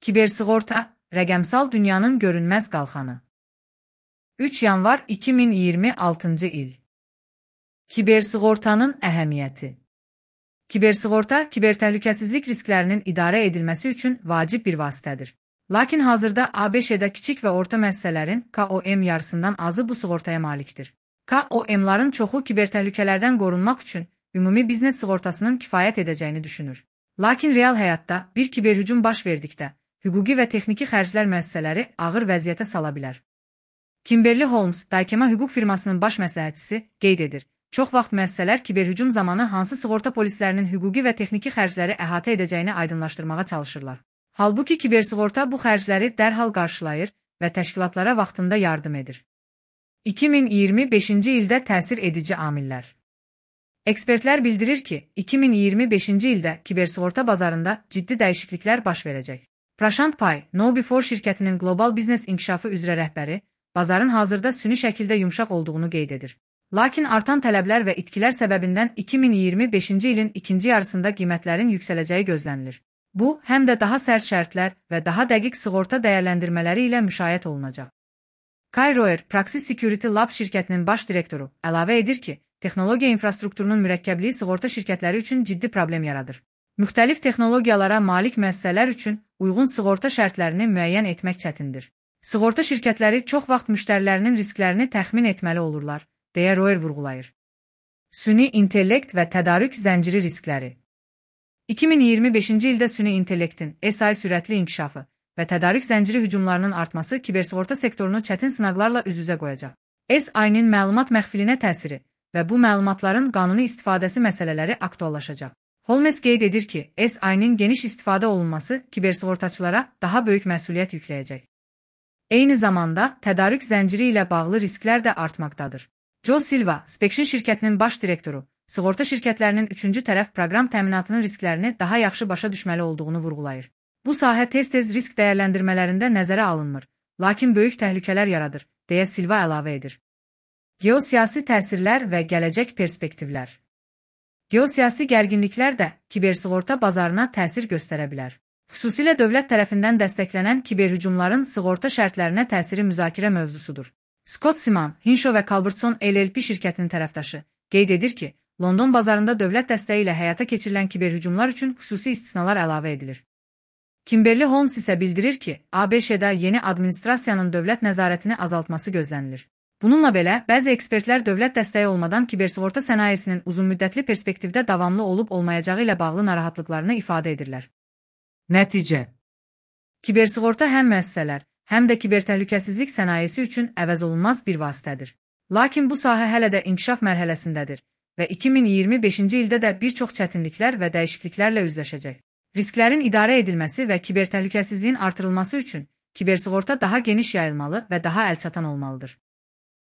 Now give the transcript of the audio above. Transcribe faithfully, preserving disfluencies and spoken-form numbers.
Kibersığorta, rəqəmsal dünyanın görünməz qalxanı. üç yanvar iki min iyirmi altıncı il. Kibersığortanın əhəmiyyəti. Kibersığorta, kibertəhlükəsizlik risklərinin idarə edilməsi üçün vacib bir vasitədir. Lakin hazırda A B Ş-də kiçik və orta müəssisələrin K O M yarısından azı bu sığortaya malikdir. K O M-ların çoxu kibertəhlükələrdən qorunmaq üçün ümumi biznes sığortasının kifayət edəcəyini düşünür. Lakin real həyatda bir kiberhücum baş verdikdə, hüquqi və texniki xərclər müəssisələri ağır vəziyyətə sala bilər. Kimberly Holmes, Daykema hüquq firmasının baş məsləhətçisi, qeyd edir. Çox vaxt müəssisələr kiberhücum zamanı hansı sığorta polislərinin hüquqi və texniki xərcləri əhatə edəcəyini aydınlaşdırmağa çalışırlar. Halbuki kibersığorta bu xərcləri dərhal qarşılayır və təşkilatlara vaxtında yardım edir. iki min iyirmi beşinci ildə təsir edici amillər. Ekspertlər bildirir ki, iki min iyirmi beşinci ildə kibersığorta bazarında ciddi dəyişikliklər baş verəcək. Prashant Pai, KnowBe4 şirkətinin qlobal biznes inkişafı üzrə rəhbəri, bazarın hazırda süni şəkildə yumşaq olduğunu qeyd edir. Lakin artan tələblər və itkilər səbəbindən iki min iyirmi beşinci ilin ikinci yarısında qiymətlərin yüksələcəyi gözlənilir. Bu, həm də daha sərt şərtlər və daha dəqiq sığorta dəyərləndirmələri ilə müşayiət olunacaq. Kay Roer, Praxis Security Lab şirkətinin baş direktoru, əlavə edir ki, texnologiya infrastrukturunun mürəkkəbliyi sığorta şirkətləri üçün ciddi problem yaradır. Müxtəlif texnologiyalara malik müəssisələr üçün uyğun sığorta şərtlərini müəyyən etmək çətindir. Sığorta şirkətləri çox vaxt müştərilərinin risklərini təxmin etməli olurlar, deyə Roer vurğulayır. Süni intellekt və tədarük zənciri riskləri. iki min iyirmi beşinci ildə süni intellektin S I sürətli inkişafı və tədarük zənciri hücumlarının artması kibersığorta sektorunu çətin sınaqlarla üz-üzə qoyacaq. S I-nin məlumat məxfilinə təsiri və bu məlumatların qanuni istifadəsi məsələləri aktuallaşacaq. Holmes qeyd edir ki, S I-nin geniş istifadə olunması kibersığortaçılara daha böyük məsuliyyət yükləyəcək. Eyni zamanda, tədarük zənciri ilə bağlı risklər də artmaqdadır. Joe Silva, Spectrum şirkətinin baş direktoru, sığorta şirkətlərinin üçüncü tərəf proqram təminatının risklərini daha yaxşı başa düşməli olduğunu vurğulayır. Bu sahə tez-tez risk dəyərləndirmələrində nəzərə alınmır, lakin böyük təhlükələr yaradır, deyə Silva əlavə edir. Geosiyasi təsirlər və gələcək perspektivlər. Geosiyasi gərginliklər də kibersığorta bazarına təsir göstərə bilər. Xüsusilə dövlət tərəfindən dəstəklənən kiberhücumların sığorta şərtlərinə təsiri müzakirə mövzusudur. Scott Siman, Hinshaw və Culbertson L L P şirkətinin tərəfdaşı, qeyd edir ki, London bazarında dövlət dəstəyi ilə həyata keçirilən kiberhücumlar üçün xüsusi istisnalar əlavə edilir. Kimberly Holmes isə bildirir ki, A B Ş-də yeni administrasiyanın dövlət nəzarətini azaltması gözlənilir. Bununla belə, bəzi ekspertlər dövlət dəstəyi olmadan kibersığorta sənayesinin uzunmüddətli perspektivdə davamlı olub-olmayacağı ilə bağlı narahatlıqlarını ifadə edirlər. Nəticə. Kibersığorta həm müəssisələr, həm də kibertəhlükəsizlik sənayesi üçün əvəzolunmaz bir vasitədir. Lakin bu sahə hələ də inkişaf mərhələsindədir və iki min iyirmi beşinci ildə də bir çox çətinliklər və dəyişikliklərlə üzləşəcək. Risklərin idarə edilməsi və kibertəhlükəsizliyin artırılması üçün kibersığorta daha geniş yayılmalı və daha əlçatan olmalıdır.